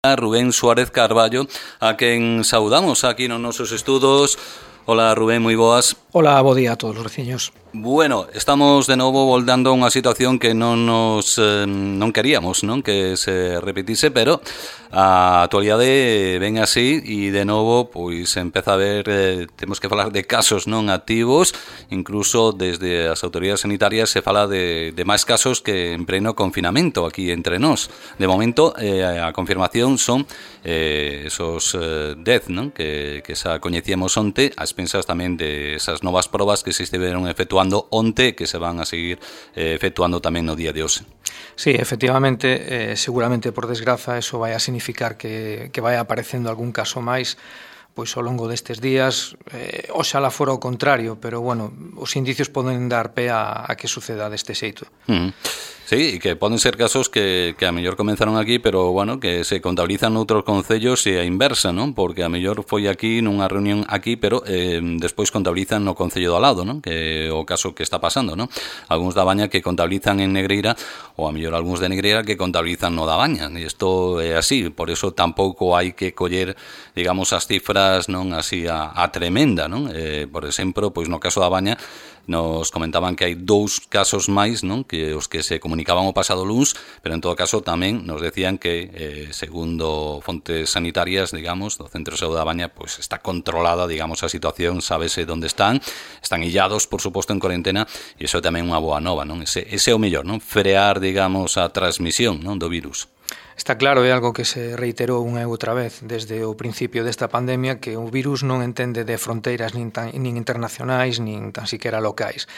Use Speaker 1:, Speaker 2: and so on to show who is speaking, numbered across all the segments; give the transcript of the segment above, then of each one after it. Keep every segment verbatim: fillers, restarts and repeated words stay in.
Speaker 1: Rubén Suárez Carballo, a quen saudamos aquí nos nosos estudos. Hola Rubén, moi boas.
Speaker 2: Hola, bo día a todos os veciños.
Speaker 1: Bueno, estamos de novo voltando a unha situación que non nos eh, non queríamos, non que se repetise, pero a actualidade ven así e de novo pois empeza a ver, eh, temos que falar de casos non activos, incluso desde as autoridades sanitarias se fala de, de máis casos que en pleno confinamento aquí entre nós. De momento eh, a confirmación son eh, esos eh, dez, non que, que xa coñecíamos onte, as pensas tamén de esas novas probas que se estiveron efectuando onte que se van a seguir eh, efectuando tamén no día de hoxe.
Speaker 2: Sí, efectivamente, eh, seguramente por desgraza eso vai a significar que, que vai aparecendo algún caso máis pois ao longo destes días, eh, oxalá fora o contrario, pero bueno, os indicios poden dar pé a, a que suceda deste xeito.
Speaker 1: Uh -huh. Sí, que poden ser casos que, que a mellor comenzaron aquí, pero, bueno, que se contabilizan noutros concellos e a inversa, non? Porque a mellor foi aquí nunha reunión aquí, pero eh, despois contabilizan no concello do lado, non? Que é o caso que está pasando, non? Algúns da Baña que contabilizan en Negreira, ou a mellor algúns de Negreira que contabilizan no da Baña. E isto é así, por eso tampouco hai que coller, digamos, as cifras non así a, a tremenda, non? Eh, por exemplo, pois no caso da Baña, nos comentaban que hai dous casos máis, non? Que os que se comunicaban o pasado luns, pero en todo caso tamén nos decían que eh, segundo fontes sanitarias, digamos, do Centro de Saúde da Baña, pois está controlada, digamos, a situación, sábese onde están, están illados, por suposto, en cuarentena, e iso é tamén unha boa nova, non? Ese, ese é o mellor, non? Frear, digamos, a transmisión, non, do virus.
Speaker 2: Está claro, é algo que se reiterou unha e outra vez desde o principio desta pandemia, que o virus non entende de fronteiras nin, tan, nin internacionais, nin tan siquiera locais.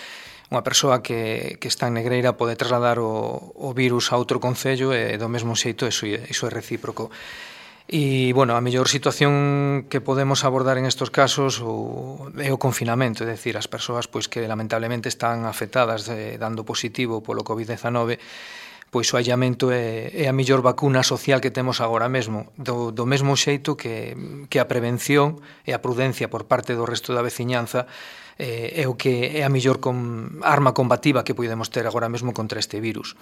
Speaker 2: Unha persoa que, que está en Negreira pode trasladar o, o virus a outro concello e do mesmo xeito iso, iso é recíproco. E, bueno, a mellor situación que podemos abordar en estos casos o, é o confinamento, é dicir, as persoas pois que lamentablemente están afectadas eh, dando positivo polo covid dezanove, pois o aillamento é, é a mellor vacuna social que temos agora mesmo, do, do mesmo xeito que, que a prevención e a prudencia por parte do resto da veciñanza eh, é o que é a mellor com, arma combativa que podemos ter agora mesmo contra este virus.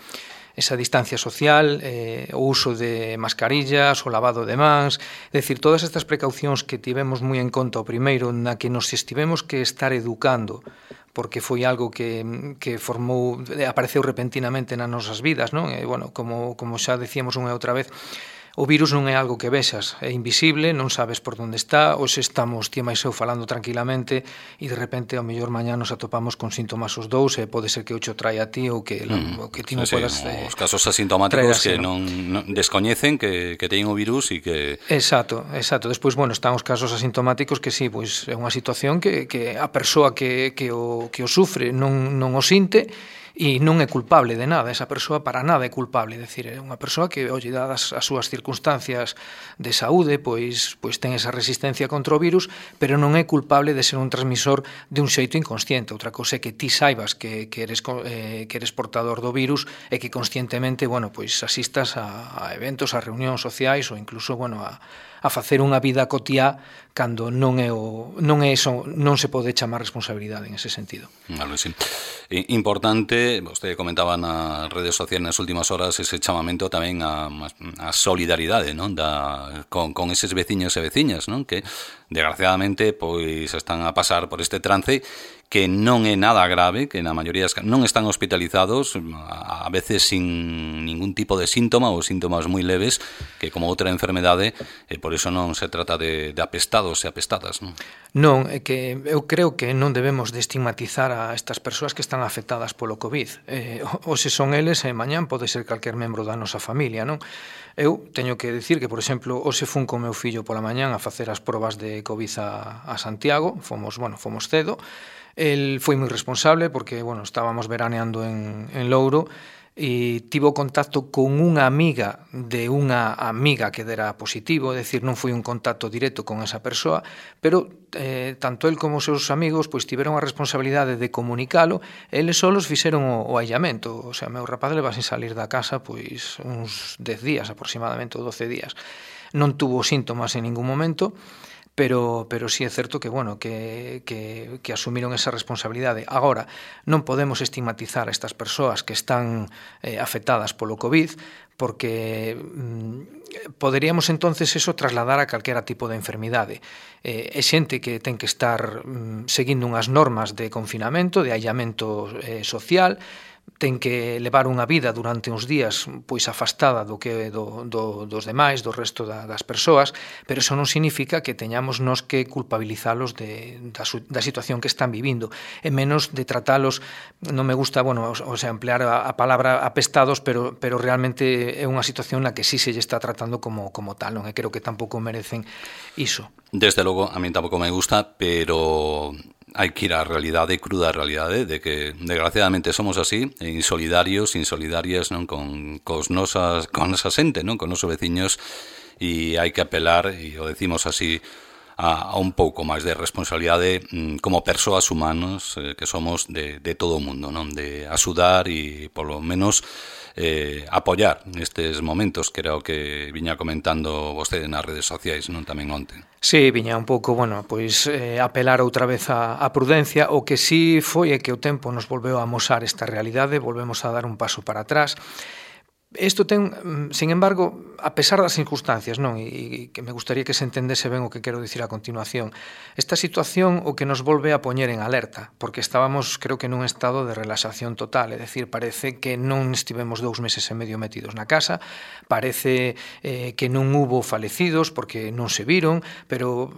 Speaker 2: Esa distancia social, eh, o uso de mascarillas, o lavado de mans, é dicir, todas estas precaucións que tivemos moi en conta o primeiro, na que nos estivemos que estar educando, porque foi algo que, que formou, apareceu repentinamente nas nosas vidas, non? E, bueno, como, como xa decíamos unha e outra vez, o virus non é algo que vexas, é invisible, non sabes por onde está, ou se estamos ti máis eu falando tranquilamente e de repente ao mellor mañá nos atopamos con síntomas os dous e pode ser que o cho traia a ti ou que, mm, o que ti non
Speaker 1: sí,
Speaker 2: podas...
Speaker 1: Sí,
Speaker 2: eh,
Speaker 1: os casos asintomáticos que non, non descoñecen que, que teñen o virus e que...
Speaker 2: Exacto, exacto. Despois, bueno, están os casos asintomáticos que sí, pois é unha situación que, que a persoa que, que, o, que o sufre non, non o sinte e non é culpable de nada, esa persoa para nada é culpable, é dicir, é unha persoa que, olle, dadas as súas circunstancias de saúde, pois pois ten esa resistencia contra o virus, pero non é culpable de ser un transmisor de un xeito inconsciente. Outra cousa é que ti saibas que, que, eres, eh, que eres portador do virus e que conscientemente, bueno, pois asistas a, a eventos, a reunións sociais ou incluso, bueno, a a facer unha vida cotiá cando non é o non é eso, non se pode chamar responsabilidade en ese sentido.
Speaker 1: Vale, sí. Importante, vostede comentaba nas redes sociais nas últimas horas ese chamamento tamén a, a solidaridade, non? Da, con, con eses veciños e veciñas, non? Que desgraciadamente pois están a pasar por este trance que non é nada grave, que na maioría non están hospitalizados, a veces sin ningún tipo de síntoma ou síntomas moi leves, que como outra enfermedade, e por iso non se trata de, de apestados e apestadas, non?
Speaker 2: Non, é que eu creo que non debemos de estigmatizar a estas persoas que están afectadas polo COVID. Eh, hoxe son eles e mañán pode ser calquer membro da nosa familia, non? Eu teño que dicir que, por exemplo, hoxe fun co meu fillo pola mañán a facer as probas de COVID a, a Santiago, fomos, bueno, fomos cedo. El foi moi responsable porque, bueno, estábamos veraneando en, en Louro e tivo contacto con unha amiga de unha amiga que dera positivo, é dicir, non foi un contacto directo con esa persoa, pero eh, tanto el como os seus amigos pois tiveron a responsabilidade de comunicalo, e eles solos fixeron o, o aillamento, o sea, meu rapaz leva sin salir da casa pois uns dez días aproximadamente, ou doce días. Non tuvo síntomas en ningún momento, pero, pero sí é certo que, bueno, que, que, que asumiron esa responsabilidade. Agora, non podemos estigmatizar a estas persoas que están eh, afectadas polo COVID, porque mm, poderíamos entonces eso trasladar a calquera tipo de enfermidade. Eh, é xente que ten que estar mm, seguindo unhas normas de confinamento, de aillamento eh, social, ten que levar unha vida durante uns días pois afastada do que do, do, dos demais, do resto da, das persoas, pero eso non significa que teñamos nos que culpabilizalos de, da, da situación que están vivindo, e menos de tratalos, non me gusta, bueno, o sea, emplear a, a palabra apestados, pero, pero realmente é unha situación na que sí se lle está tratando como, como tal, non? E creo que tampouco merecen iso.
Speaker 1: Desde logo, a mí tampouco me gusta, pero hai que ir á realidade, cruda realidade, de que desgraciadamente somos así, insolidarios, insolidarias, non, con cos nosas, con nosa xente, non, con nosos veciños, e hai que apelar, e o decimos así, a, a un pouco máis de responsabilidade como persoas humanos eh, que somos de, de todo o mundo, non, de axudar e polo menos eh, apoiar nestes momentos, que era o que viña comentando vostede nas redes sociais, non, tamén onte.
Speaker 2: Sí, viña un pouco, bueno, pois eh, apelar outra vez a, a prudencia. O que sí foi é que o tempo nos volveu a amosar esta realidade, volvemos a dar un paso para atrás. Isto ten, sin embargo, a pesar das circunstancias, non, e que me gustaría que se entendese ben o que quero dicir a continuación, esta situación o que nos volve a poñer en alerta, porque estábamos, creo que, nun estado de relaxación total, é dicir, parece que non estivemos dous meses e medio metidos na casa, parece eh, que non hubo falecidos porque non se viron, pero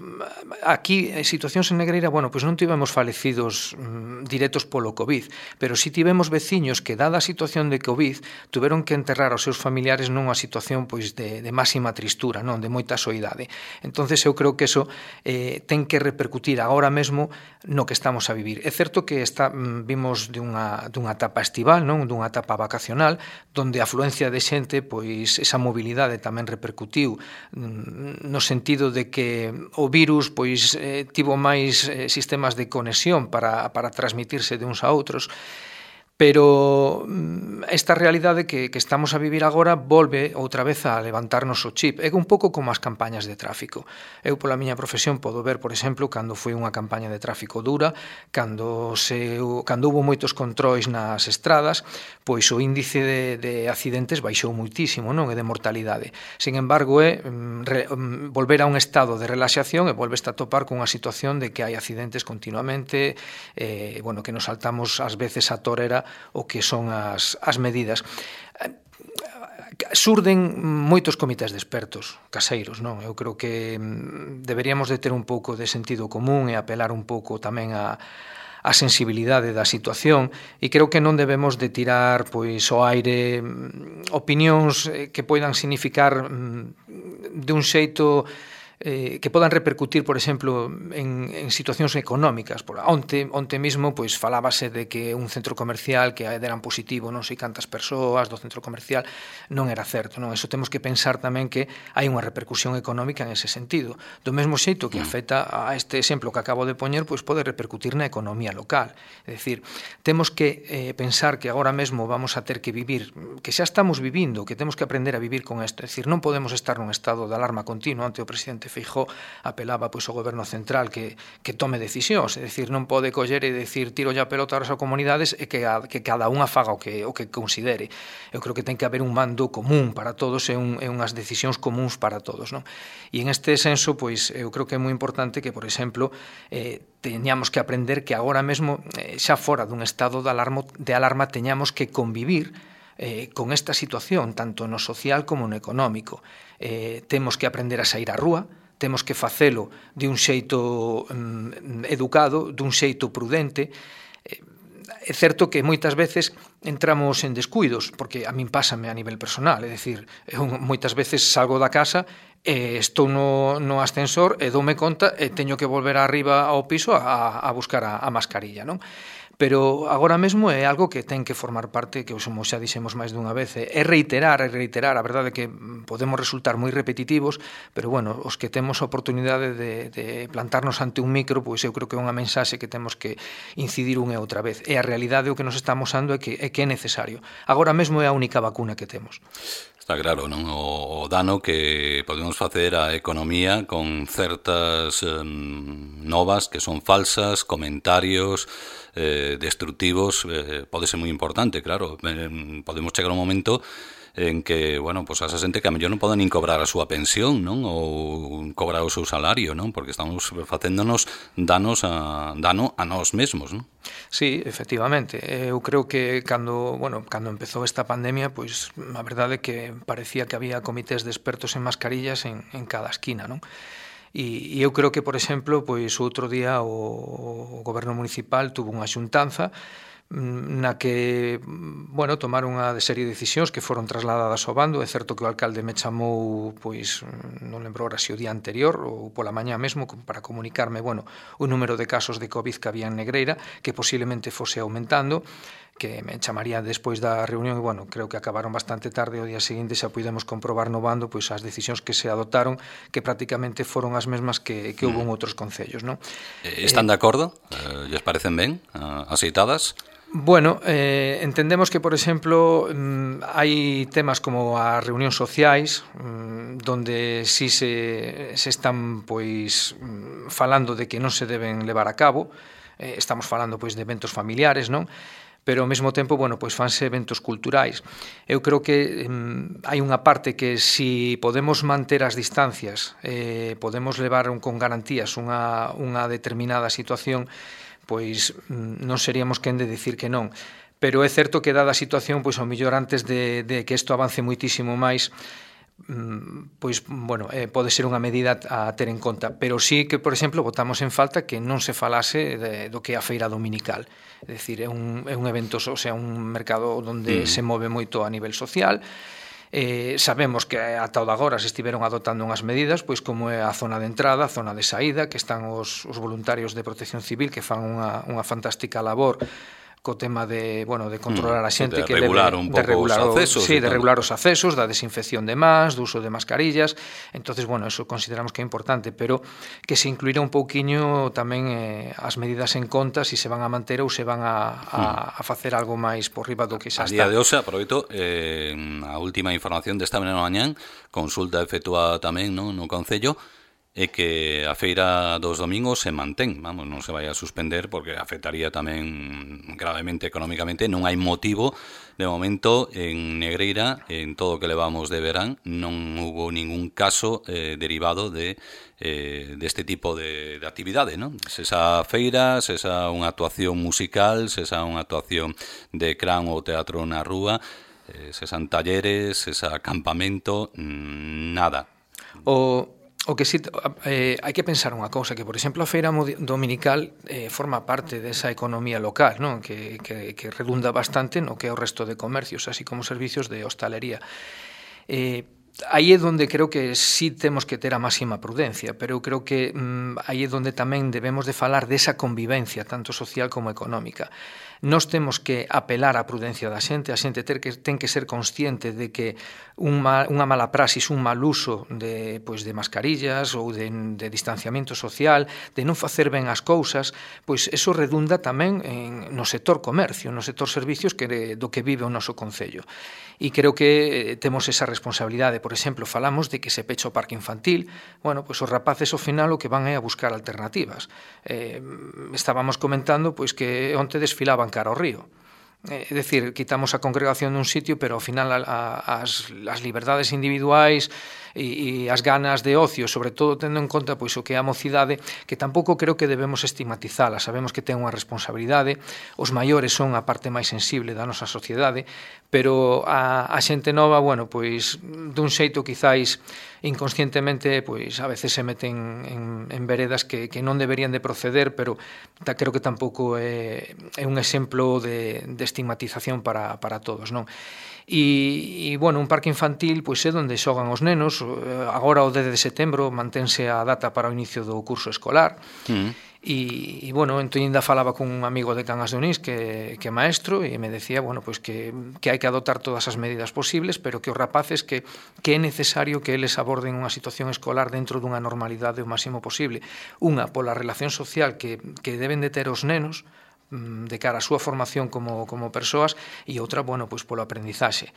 Speaker 2: aquí, en situacións en Negreira, bueno, pois non tivemos falecidos mm, directos polo COVID, pero si tivemos veciños que, dada a situación de COVID, tuveron que enterrar aos seus familiares nunha situación pois de, de máxima tristura, non, de moita soidade. Entonces eu creo que eso eh, ten que repercutir agora mesmo no que estamos a vivir. É certo que está, vimos de unha, dunha etapa estival, non, dunha etapa vacacional, donde a afluencia de xente, pois esa mobilidade tamén repercutiu no sentido de que o virus pois eh, tivo máis eh, sistemas de conexión para, para transmitirse de uns a outros. Pero esta realidade que, que estamos a vivir agora volve outra vez a levantarnos o chip. É un pouco como as campañas de tráfico. Eu, pola miña profesión, podo ver, por exemplo, cando foi unha campaña de tráfico dura, cando, se, cando hubo moitos controis nas estradas, pois o índice de, de accidentes baixou muitísimo, non? E de mortalidade. Sin embargo, é re, volver a un estado de relaxación e volves a topar con unha situación de que hai accidentes continuamente, eh, bueno, que nos saltamos ás veces a torera o que son as, as medidas. Surden moitos comités de expertos caseiros, non? Eu creo que deberíamos de ter un pouco de sentido común e apelar un pouco tamén a a sensibilidade da situación, e creo que non debemos de tirar pois ao aire opinións que poidan significar de un xeito eh, que podan repercutir, por exemplo, en, en situacións económicas. Por onte, onte mismo, pois, falábase de que un centro comercial que deran positivo non sei cantas persoas do centro comercial non era certo, non? Eso temos que pensar tamén que hai unha repercusión económica en ese sentido. Do mesmo xeito que afecta a este exemplo que acabo de poñer, pois pode repercutir na economía local. É dicir, temos que eh, pensar que agora mesmo vamos a ter que vivir, que xa estamos vivindo, que temos que aprender a vivir con isto. É dicir, non podemos estar nun estado de alarma continuo. Ante o presidente Feijóo apelaba pois ao goberno central que, que tome decisións, é dicir, non pode coller e decir tiro a pelota ás comunidades e que, a, que cada unha faga o que, o que considere. Eu creo que ten que haber un mando común para todos e, un, e unhas decisións comuns para todos, non? E en este senso, pois, eu creo que é moi importante que, por exemplo, eh, teñamos que aprender que agora mesmo, eh, xa fora dun estado de alarma, de alarma teñamos que convivir eh, con esta situación, tanto no social como no económico. Eh, temos que aprender a sair á rúa, temos que facelo de un xeito mm, educado, dun xeito prudente. É certo que moitas veces entramos en descuidos, porque a min pásame a nivel personal, é dicir, eu moitas veces salgo da casa e estou no, no ascensor e doume conta e teño que volver arriba ao piso a, a buscar a, a mascarilla, non? pero agora mesmo é algo que ten que formar parte, que como xa dixemos máis dunha vez, é reiterar, é reiterar, a verdade é que podemos resultar moi repetitivos, pero bueno, os que temos a oportunidade de, de plantarnos ante un micro, pois eu creo que é unha mensaxe que temos que incidir unha e outra vez. E a realidade o que nos está amosando é que é, que é necesario. Agora mesmo é a única vacuna que temos.
Speaker 1: Está claro, non? O, o dano que podemos facer á economía con certas eh, novas que son falsas, comentarios eh, destructivos, eh, pode ser moi importante, claro. Eh, podemos chegar a un momento en que, bueno, pues a esa xente que a mellor non poden nin cobrar a súa pensión, non? Ou cobrar o seu salario, non? Porque estamos facéndonos danos a, dano a nós mesmos, non?
Speaker 2: Sí, efectivamente. Eu creo que cando, bueno, cando empezou esta pandemia, pois a verdade é que parecía que había comités de expertos en mascarillas en, en cada esquina, non? E, e eu creo que, por exemplo, pois outro día o, o goberno municipal tuvo unha xuntanza na que, bueno, tomaron unha serie de decisións que foron trasladadas ao bando. É certo que o alcalde me chamou, pois, non lembro ahora se o día anterior ou pola mañá mesmo, para comunicarme, bueno, o número de casos de COVID que había en Negreira, que posiblemente fose aumentando, que me chamaría despois da reunión e, bueno, creo que acabaron bastante tarde. O día seguinte xa pudemos comprobar no bando pois as decisións que se adotaron, que prácticamente foron as mesmas que, que houve en outros concellos, non?
Speaker 1: Están de acordo? Eh, lles parecen ben? Aceitadas?
Speaker 2: Bueno, eh, entendemos que, por exemplo, mm, hai temas como as reunións sociais, mm, donde si se, se están pois mm, falando de que non se deben levar a cabo. Eh, estamos falando pois de eventos familiares, non? Pero ao mesmo tempo, bueno, pois fanse eventos culturais. Eu creo que mm, hai unha parte que si podemos manter as distancias, eh, podemos levar un, con garantías unha, unha determinada situación, pois non seríamos quen de dicir que non. Pero é certo que dada a situación, pois ao mellor antes de, de que isto avance muitísimo máis, pois, bueno, eh, pode ser unha medida a ter en conta, pero sí que, por exemplo, botamos en falta que non se falase de, do que é a feira dominical. É dicir, é un, é un evento, o sea, un mercado onde mm. se move moito a nivel social. Eh, sabemos que ata o de agora se estiveron adoptando unhas medidas, pois como é a zona de entrada, a zona de saída, que están os, os voluntarios de protección civil que fan unha, unha fantástica labor co tema de, bueno, de controlar a xente,
Speaker 1: de
Speaker 2: que
Speaker 1: regular
Speaker 2: debe,
Speaker 1: un
Speaker 2: de
Speaker 1: pouco
Speaker 2: regular
Speaker 1: os accesos,
Speaker 2: sí, de regular os accesos, da desinfección de mans, do uso de mascarillas. Entonces, bueno, eso consideramos que é importante, pero que se incluirá un pouquiño tamén eh, as medidas en conta, se si se van a manter ou se van a, a, a facer algo máis por riba do que xa
Speaker 1: está. A
Speaker 2: está.
Speaker 1: día de hoxe, aproveito eh, a última información desta mañá mañán, consulta efectuada tamén, no, no Concello, é que a feira dos domingos se mantén, vamos, non se vai a suspender porque afectaría tamén gravemente económicamente. Non hai motivo, de momento, en Negreira, en todo o que levamos de verán, non hubo ningún caso eh, derivado de eh, deste tipo de, de actividade, non? Se esa feira, se esa unha actuación musical, se esa unha actuación de cran ou teatro na rúa, eh, se san talleres, se esa acampamento, mmm, nada.
Speaker 2: O... O que sí, eh, hai que pensar unha cousa, que, por exemplo, a feira dominical eh, forma parte desa economía local, non? Que, que, que redunda bastante no que é o resto de comercios, así como servicios de hostalería. Eh, aí é onde creo que sí temos que ter a máxima prudencia, pero eu creo que mm, aí é onde tamén debemos de falar desa convivencia, tanto social como económica. Nós temos que apelar á prudencia da xente, a xente ter que, ten que ser consciente de que un mal, unha mala praxis, un mal uso de, pois, de mascarillas ou de, de distanciamento social, de non facer ben as cousas, pois eso redunda tamén en, no sector comercio, no sector servicios que, do que vive o noso concello. E creo que eh, temos esa responsabilidade. Por exemplo, falamos de que se pecha o parque infantil. Bueno, pois os rapaces ao final o que van é a buscar alternativas. Eh, estábamos comentando pois que onte desfilaban cara ao río. É dicir, quitamos a congregación dun sitio, pero ao final a, a, as, as liberdades individuais e, e as ganas de ocio, sobre todo tendo en conta pois o que é a mocidade, que tampouco creo que debemos estigmatizala. Sabemos que ten unha responsabilidade, os maiores son a parte máis sensible da nosa sociedade, pero a, a xente nova, bueno, pois dun xeito quizáis inconscientemente, pois a veces se meten en, en veredas que, que non deberían de proceder, pero ta, creo que tampouco é, é un exemplo de, de estigmatización para, para todos, non? E, e, bueno, un parque infantil pois é onde xogan os nenos. Agora o dez de setembro mantense a data para o inicio do curso escolar. Mm. E, e bueno, entón ainda falaba con un amigo de Cangas de Onís que, que é maestro e me decía, bueno, pois que, que hai que adoptar todas as medidas posibles, pero que os rapaces que, que é necesario que eles aborden unha situación escolar dentro dunha normalidade o máximo posible. Unha, pola relación social que, que deben de ter os nenos de cara á súa formación como, como persoas, e outra, bueno, pois polo aprendizaxe.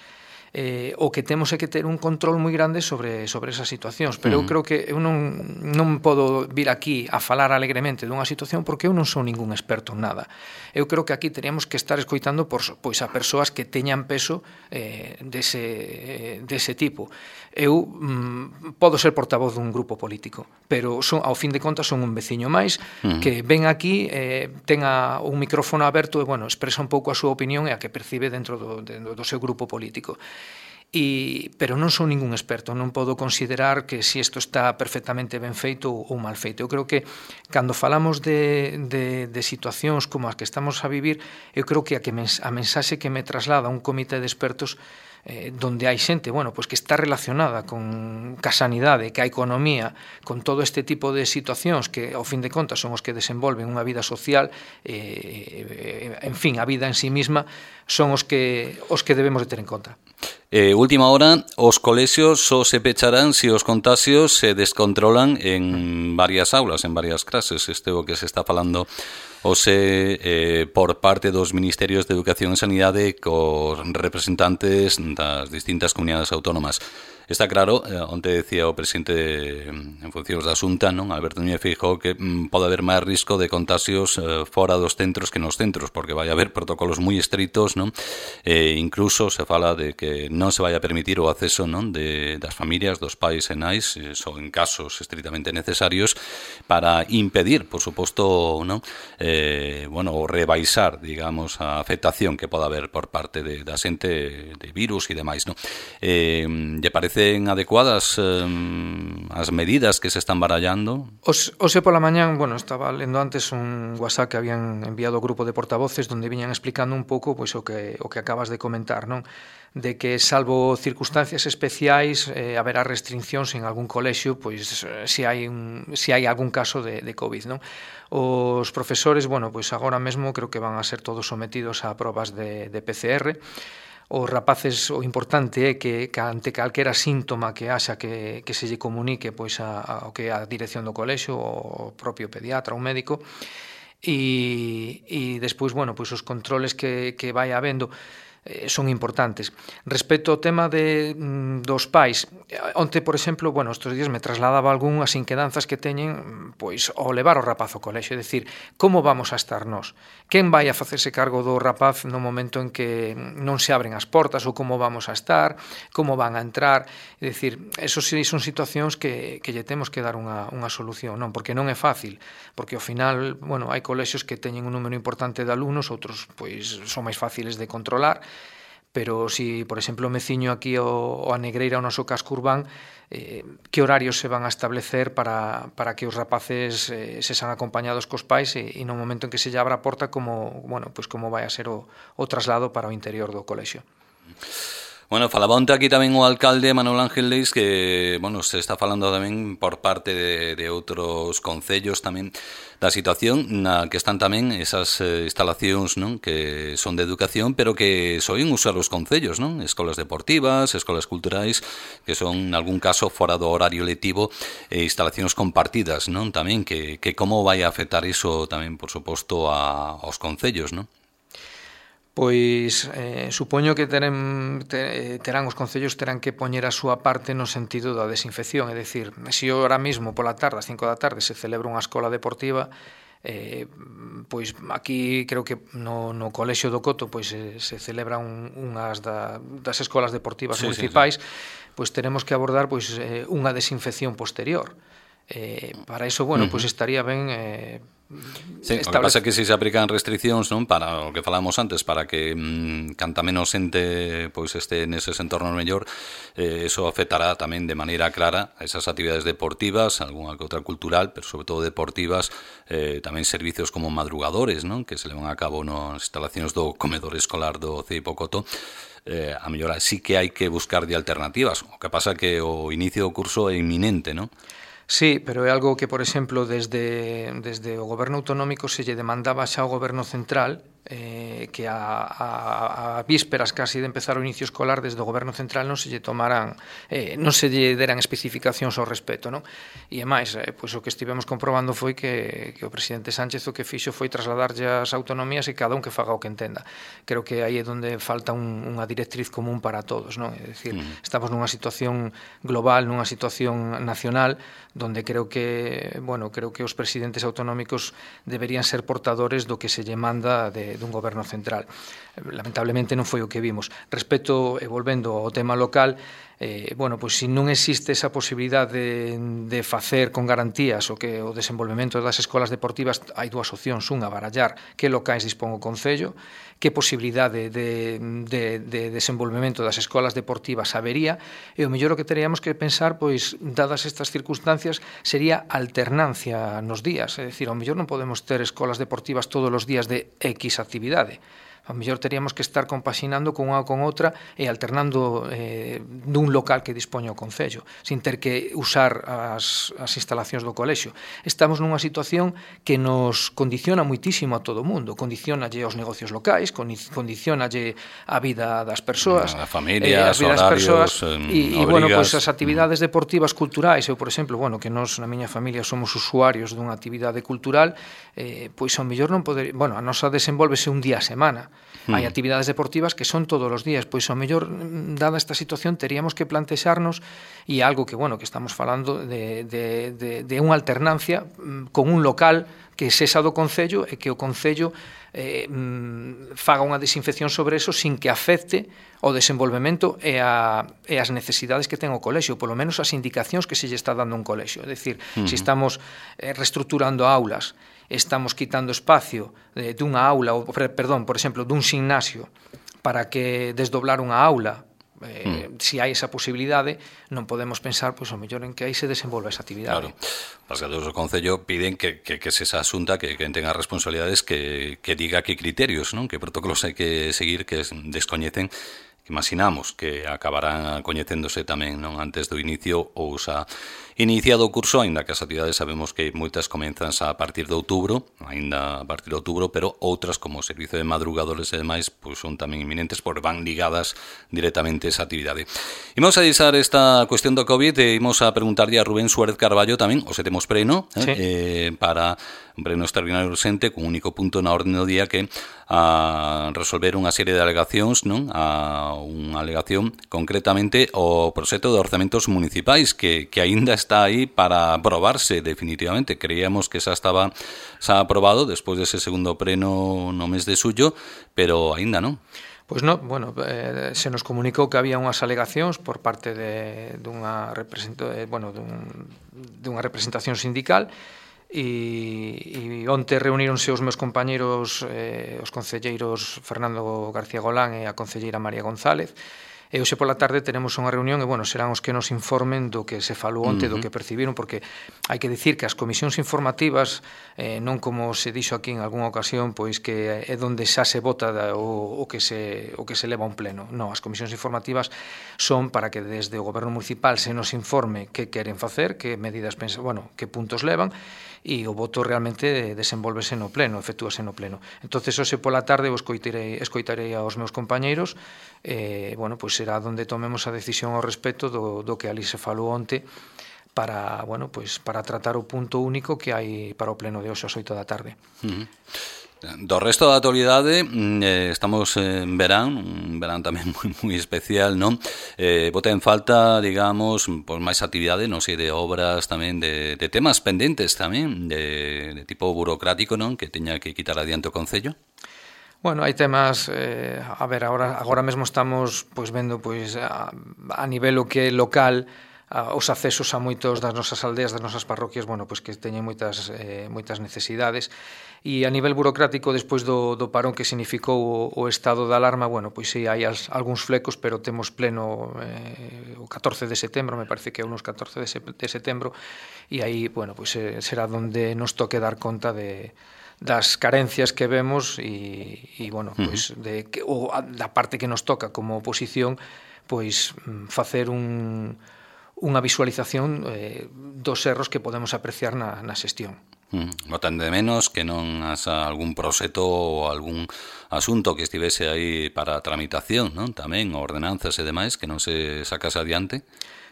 Speaker 2: Eh, o que temos é que ter un control moi grande sobre, sobre esas situacións, pero eu creo que eu non, non podo vir aquí a falar alegremente dunha situación porque eu non sou ningún experto en nada. Eu creo que aquí teríamos que estar escoitando por, pois a persoas que teñan peso eh, dese, dese tipo. Eu mm, podo ser portavoz dun grupo político, pero son, ao fin de contas son un veciño máis que ven aquí, eh, tenga un micrófono aberto e, bueno, expresa un pouco a súa opinión e a que percibe dentro do, de, do seu grupo político. E, pero non son ningún experto, non podo considerar que si isto está perfectamente ben feito ou mal feito. Eu creo que cando falamos de, de, de situacións como as que estamos a vivir, eu creo que a, que mens, a mensaxe que me traslada un comité de expertos eh, donde hai xente, bueno, pois que está relacionada con ca sanidade, ca economía, con todo este tipo de situacións que, ao fin de contas, son os que desenvolven unha vida social, eh, en fin, a vida en sí misma, son os que os que debemos de ter en conta.
Speaker 1: Eh, última hora, os colexios só se pecharán se os contagios se descontrolan en varias aulas, en varias clases. Este é o que se está falando hoxe eh, por parte dos Ministerios de Educación e Sanidade cos representantes das distintas comunidades autónomas. Está claro, eh, onte decía o presidente en funcións da Xunta, non, Alberto Núñez Feijóo, que mm, pode haber máis risco de contagios eh, fora dos centros que nos centros, porque vai haber protocolos moi estritos, non? Eh, incluso se fala de que non se vai a permitir o acceso, non, de das familias, dos pais e nais, eh, só en casos estritamente necesarios, para impedir, por suposto, non, eh, bueno, o rebaixar, digamos, a afectación que pode haber por parte de, da xente de virus e demais, non? Eh, lle parece adecuadas eh, as medidas que se están barallando?
Speaker 2: Os, ose pola mañán, bueno, estaba lendo antes un WhatsApp que habían enviado ao grupo de portavoces donde viñan explicando un pouco pois o que o que acabas de comentar, non? De que salvo circunstancias especiais eh, haberá restriccións en algún colexio, pois se hai un, se hai algún caso de, de COVID, non? Os profesores, bueno, pois agora mesmo creo que van a ser todos sometidos a probas de, de P C R. Os rapaces, o importante é que, que ante calquera síntoma que haxa que, que se lle comunique pois a, a, que a dirección do colexio, o propio pediatra, ou médico, e, e despois, bueno, pois os controles que, que vai habendo eh, son importantes. Respecto ao tema de, dos pais, onte, por exemplo, bueno, estes días me trasladaba algunhas inquedanzas que teñen pois ao levar o rapaz ao colexio, é dicir, como vamos a estar nós? Quen vai a facerse cargo do rapaz no momento en que non se abren as portas, ou como vamos a estar, como van a entrar? É dicir, esos sí son situacións que, que lle temos que dar unha, unha solución, non? Porque non é fácil, porque ao final, bueno, hai colexios que teñen un número importante de alumnos, outros pois son máis fáciles de controlar, pero si, por exemplo, me ciño aquí o, o a Negreira, o noso casco urbán, eh, que horarios se van a establecer para, para que os rapaces eh, se sean acompañados cos pais e, e no momento en que se lle abra a porta, como, bueno, pues como vai a ser o, o traslado para o interior do colexio.
Speaker 1: Bueno, falaba onte aquí tamén o alcalde Manuel Ángel Leis que, bueno, se está falando tamén por parte de, de outros concellos tamén da situación na que están tamén esas eh, instalacións, non, que son de educación, pero que soen usar os concellos, non? Escolas deportivas, escolas culturais, que son, en algún caso, fora do horario lectivo, e instalacións compartidas, non? Tamén, que, que como vai a afectar iso tamén, por suposto, a, aos concellos, non?
Speaker 2: Pois eh, supoño que teren, te, terán os concellos terán que poñer a súa parte no sentido da desinfección, é dicir, se ahora mismo pola tarde, a cinco da tarde, se celebra unha escola deportiva, eh, pois aquí creo que no, no Colexio do Coto pois se, se celebran un, unhas da, das escolas deportivas sí, municipais, sí, sí. Pois teremos que abordar pois eh, unha desinfección posterior. Eh, para iso, bueno, uh-huh. pois estaría ben eh,
Speaker 1: sí, o que pasa é que se se aplican restriccións, non, para o que falamos antes, para que mmm, canta menos xente pois este neses entornos mellor, eh, eso afectará tamén de maneira clara a esas actividades deportivas, algunha que outra cultural, pero sobre todo deportivas, eh, tamén servicios como madrugadores, non, que se levan a cabo nas instalacións do comedor escolar do C I P O Coto. Eh, a mellor sí que hai que buscar de alternativas, o que pasa que o inicio do curso é inminente, non?
Speaker 2: Sí, pero é algo que, por exemplo, desde, desde o goberno autonómico se lle demandaba xa ao goberno central, eh, que a, a, a vísperas casi de empezar o inicio escolar, desde o goberno central non se lle tomaran, eh, non se lle deran especificacións ao respecto, non? E é máis, eh, pois o que estivemos comprobando foi que, que o presidente Sánchez o que fixo foi trasladarlle as autonomías e cada un que faga o que entenda. Creo que aí é onde falta un, unha directriz común para todos, non? É dicir, mm. estamos nunha situación global, nunha situación nacional, donde creo que, bueno, creo que os presidentes autonómicos deberían ser portadores do que se lle manda de dun goberno central. Lamentablemente non foi o que vimos. Respecto, e volvendo ao tema local, eh, bueno, pois se non existe esa posibilidade de, de facer con garantías o que o desenvolvemento das escolas deportivas, hai dúas opcións, unha, barallar que locais dispón o Concello, que posibilidade de, de, de desenvolvemento das escolas deportivas habería, e o mellor o que teríamos que pensar, pois, dadas estas circunstancias, sería alternancia nos días, é dicir, ao mellor non podemos ter escolas deportivas todos os días de X actividade, ao mellor teríamos que estar compaxinando con unha ou con outra e alternando eh, dun local que dispoña o Concello, sin ter que usar as, as instalacións do colexio. Estamos nunha situación que nos condiciona muitísimo a todo o mundo, condicionalle aos negocios locais, condicionalle a vida das persoas,
Speaker 1: a familias,
Speaker 2: eh, as
Speaker 1: horarios,
Speaker 2: persoas,
Speaker 1: e,
Speaker 2: e, bueno, pois as actividades deportivas culturais, eu, por exemplo, bueno, que nós na miña familia somos usuarios dunha actividade cultural, eh, pois ao mellor non poder, bueno, a nosa desenvolvese un día a semana. Hai actividades deportivas que son todos os días, pois ao mellor, dada esta situación, teríamos que plantexarnos, e algo que, bueno, que estamos falando de, de, de, de unha alternancia con un local que sexa do Concello e que o Concello eh, faga unha desinfección sobre eso sin que afecte o desenvolvemento e, a, e as necesidades que ten o colexio, polo menos as indicacións que se lle está dando un colexio. É dicir, uh-huh. se estamos eh, reestructurando aulas, estamos quitando espacio eh, dunha aula, ou, perdón, por exemplo, dun gimnasio para que desdoblar unha aula, eh, mm. se hai esa posibilidade, non podemos pensar, pois, ao mellor en que aí se desenvolve esa actividade.
Speaker 1: Claro. Os gatos do Concello piden que, que, que se esa asunta, que, que tenga responsabilidades, que, que diga que criterios, non? Que protocolos hai que seguir, que descoñecen, que imaginamos que acabarán coñecéndose tamén, non, antes do inicio ou xa iniciado o curso, aínda que as actividades sabemos que moitas comenzan a partir de outubro, aínda a partir de outubro, pero outras, como o servizo de madrugadores e demais, pois son tamén inminentes, porque van ligadas directamente a esa actividade. Imos a deixar esta cuestión do COVID e imos a preguntarlle a Rubén Suárez Carballo tamén, o se temos preno, eh, sí. eh, para un pleno extraordinario urxente, con un único punto na orde do día, que a resolver unha serie de alegacións, non? A unha alegación concretamente o proxecto de orzamentos municipais, que, que aínda está aí para aprobarse definitivamente. Creíamos que xa estaba xa aprobado despois dese segundo pleno no mes de xullo, pero aínda non.
Speaker 2: Pois non, bueno, eh, se nos comunicou que había unhas alegacións por parte de, dunha, representa, eh, bueno, dun, dunha representación sindical, e, e onte reuníronse os meus compañeros, eh, os concelleiros Fernando García Golán e a concelleira María González, e hoxe pola tarde tenemos unha reunión e, bueno, serán os que nos informen do que se falou onte, uh-huh. do que percibiron, porque hai que dicir que as comisións informativas, eh, non como se dixo aquí en algunha ocasión, pois que é onde xa se vota o, o, que se, o que se leva a un pleno. Non, as comisións informativas son para que desde o goberno municipal se nos informe que queren facer, que medidas pensan, bueno, que puntos levan, e o voto realmente desenvolvese no pleno, efectúase no pleno. Entonces, hoxe pola tarde eu escoitarei, escoitarei aos meus compañeiros, eh, bueno, pois será onde tomemos a decisión ao respecto do, do que ali se falou onte, para, bueno, pois para tratar o punto único que hai para o pleno de hoxe ás oito da tarde.
Speaker 1: Uh-huh. Do resto da actualidade, eh, estamos en verán, un verán tamén moi, moi especial, non? Eh, bota en falta, digamos, por máis actividade, non sei, de obras tamén, de, de temas pendentes tamén, de, de tipo burocrático, non? Que teña que quitar adiante o Concello.
Speaker 2: Bueno, hai temas, eh, a ver, agora, agora mesmo estamos pois vendo pois a, a nivel o que é local, a, os accesos a moitos das nosas aldeas, das nosas parroquias, bueno, pois que teñen moitas eh, moitas necesidades. E a nivel burocrático, despois do, do parón que significou o, o estado de alarma, bueno, pois sí, hai as, algúns flecos, pero temos pleno eh, o catorce de setembro, me parece que é unos catorce de, se, de setembro, e aí, bueno, pois eh, será donde nos toque dar conta de das carencias que vemos e, e bueno, pois de que, ou da parte que nos toca como oposición, pois facer un unha visualización eh, dos erros que podemos apreciar na, na xestión.
Speaker 1: Mm, notan de menos que non has algún proxecto ou algún asunto que estivese aí para tramitación, non? Tamén, ordenanzas e demais, que non se sacase adiante?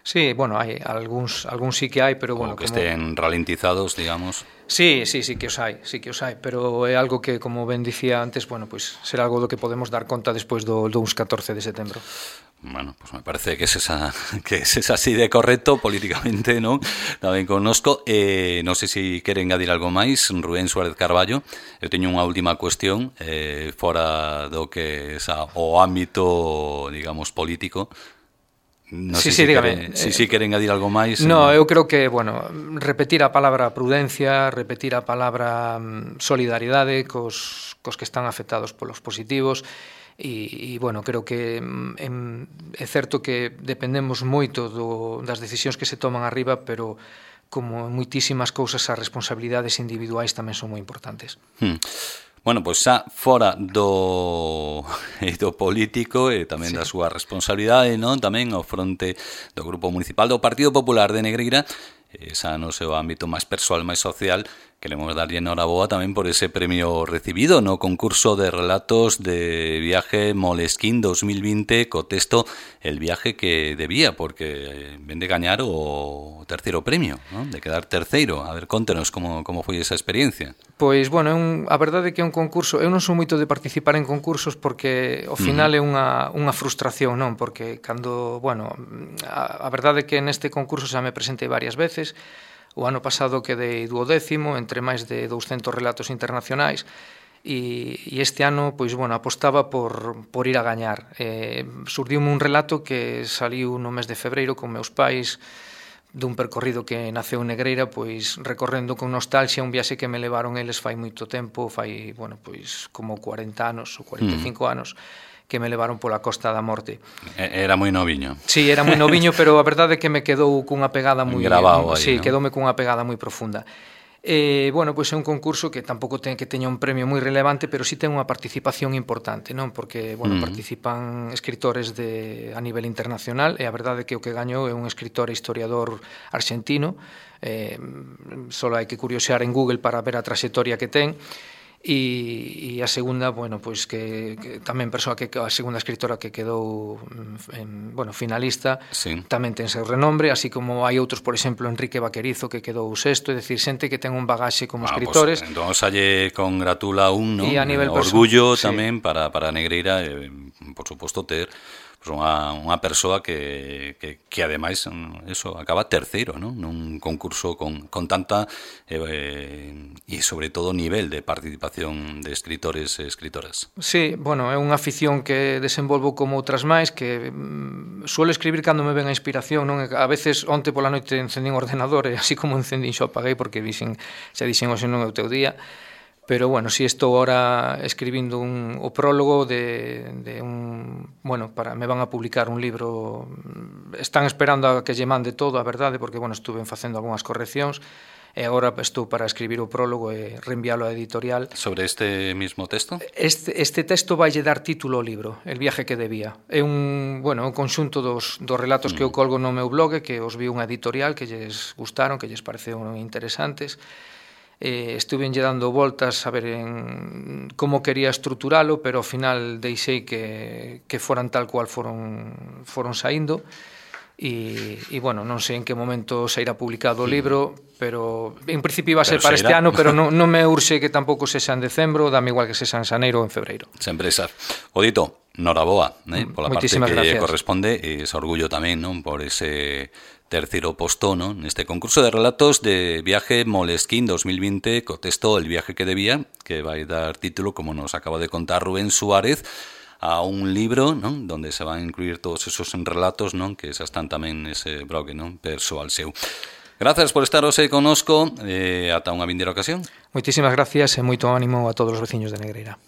Speaker 2: Sí, bueno, hai algúns, algúns sí que hai, pero bueno,
Speaker 1: ou que
Speaker 2: como...
Speaker 1: estén ralentizados, digamos.
Speaker 2: Sí, sí, sí que os hai, sí que os hai, pero é algo que, como ben dicía antes, bueno, pois pues, será algo do que podemos dar conta despois do, do uns catorce de setembro.
Speaker 1: Bueno, pues me parece que es esa, que es así de correcto políticamente, ¿no? Tamén conozco, eh, non sei se quere engadir algo máis, Rubén Suárez Carballo. Eu teño unha última cuestión, eh, fora do que é o ámbito, digamos, político. Non
Speaker 2: sí,
Speaker 1: sei
Speaker 2: sí,
Speaker 1: se
Speaker 2: dígame.
Speaker 1: quere, si, si quere engadir algo máis.
Speaker 2: No, eu creo que, bueno, repetir a palabra prudencia, repetir a palabra solidaridade cos, cos que están afectados polos positivos, e, e bueno, creo que en, é certo que dependemos moito do, das decisións que se toman arriba, pero como en moitísimas cousas as responsabilidades individuais tamén son moi importantes.
Speaker 1: Hmm. Bueno, pois xa fora do, do político e tamén sí. da súa responsabilidade, non? Tamén ao fronte do Grupo Municipal do Partido Popular de Negreira, xa no seu ámbito máis persoal, máis social, queremos darlle enhoraboa tamén por ese premio recibido no concurso de relatos de viaje Moleskine dos mil vinte co texto El viaje que debía, porque ven de gañar o terceiro premio, non? De quedar terceiro. A ver, contenos como, como foi esa experiencia.
Speaker 2: Pois, bueno, é un, a verdade é que é un concurso, eu non sou moito de participar en concursos porque ao final uh-huh. é unha, unha frustración, non? Porque cando, bueno, a, a verdade é que neste concurso xa me presentei varias veces. O ano pasado quedei duodécimo entre máis de douscentos relatos internacionais e, e este ano, pois, bueno, apostaba por, por ir a gañar. Eh, surdiume un relato que saliu no mes de febreiro con meus pais dun percorrido que naceu en Negreira, pois recorrendo con nostalgia un viaxe que me levaron eles fai moito tempo, fai, bueno, pois como cuarenta anos ou cuarenta e cinco mm. anos, que me levaron pola Costa da Morte.
Speaker 1: Era moi noviño.
Speaker 2: Sí, era moi noviño, pero a verdade é que me quedou cunha pegada moi...
Speaker 1: Grabado aí,
Speaker 2: sí,
Speaker 1: ¿no?
Speaker 2: quedoume cunha pegada moi profunda. Eh, bueno, pois é un concurso que tampouco ten que teña un premio moi relevante, pero sí ten unha participación importante, non? Porque, bueno, mm. participan escritores de a nivel internacional e a verdade é que o que gañou é un escritor e historiador arxentino. Eh, só hai que curiosear en Google para ver a traxectoria que ten. E, e a segunda, bueno, pois que, que tamén persoa que a segunda escritora que quedou en, bueno, finalista, sí. tamén ten seu renombre, así como hai outros, por exemplo, Enrique Vaquerizo que quedou sexto, é dicir, xente que ten un bagaxe como ah, escritores.
Speaker 1: Pues, entón, xa lle congratula un, ¿no?
Speaker 2: E a nivel
Speaker 1: orgullo
Speaker 2: sí.
Speaker 1: tamén para para Negreira, eh, por suposto ter pues unha, unha persoa que, que, que ademais eso, acaba terceiro, ¿no? Nun concurso con, con tanta eh, e sobre todo nivel de participación de escritores e escritoras.
Speaker 2: Sí, bueno, é unha afición que desenvolvo como outras máis, que mm, suelo escribir cando me ven a inspiración, non? A veces onte pola noite encendín o ordenador e así como encendín xo apaguei porque dixen, xa dixen hoxe non é o teu día. Pero, bueno, si estou ahora escribindo un, o prólogo de, de un... Bueno, para, me van a publicar un libro... Están esperando a que lle mande todo, a verdade, porque, bueno, estuve facendo algunhas correccións, e agora estou para escribir o prólogo e reenviálo á editorial.
Speaker 1: Sobre este mismo texto?
Speaker 2: Este, este texto vai lle dar título ao libro, El viaje que debía. É un, bueno, un conxunto dos, dos relatos mm. que eu colgo no meu blog, que os vi unha editorial, que lles gustaron, que lles pareceron interesantes. Eh, estuve lle dando voltas a ver en como quería estruturalo, pero ao final deixei que, que foran tal cual foron, foron saindo e, e bueno, non sei en que momento sairá publicado o libro, pero en principio iba a ser pero para este ano, pero non, non me urxe que tampouco sexa en decembro, dame igual que sexa en xaneiro ou en febreiro.
Speaker 1: Sempre esas. Odito, noraboa, eh, pola parte que
Speaker 2: gracias.
Speaker 1: corresponde, e ese orgullo tamén, non, por ese terceiro posto, ¿no? Neste concurso de relatos de viaje Moleskine dos mil vinte co texto El viaje que debía, que vai dar título, como nos acaba de contar Rubén Suárez, a un libro, ¿no? Donde se van a incluir todos esos relatos, ¿no? Que xa están tamén nese blog, ¿no? Persoal seu. Gracias por estar hoxe conosco, eh, ata unha vindeira ocasión.
Speaker 2: Moitísimas gracias e moito ánimo a todos os veciños de Negreira.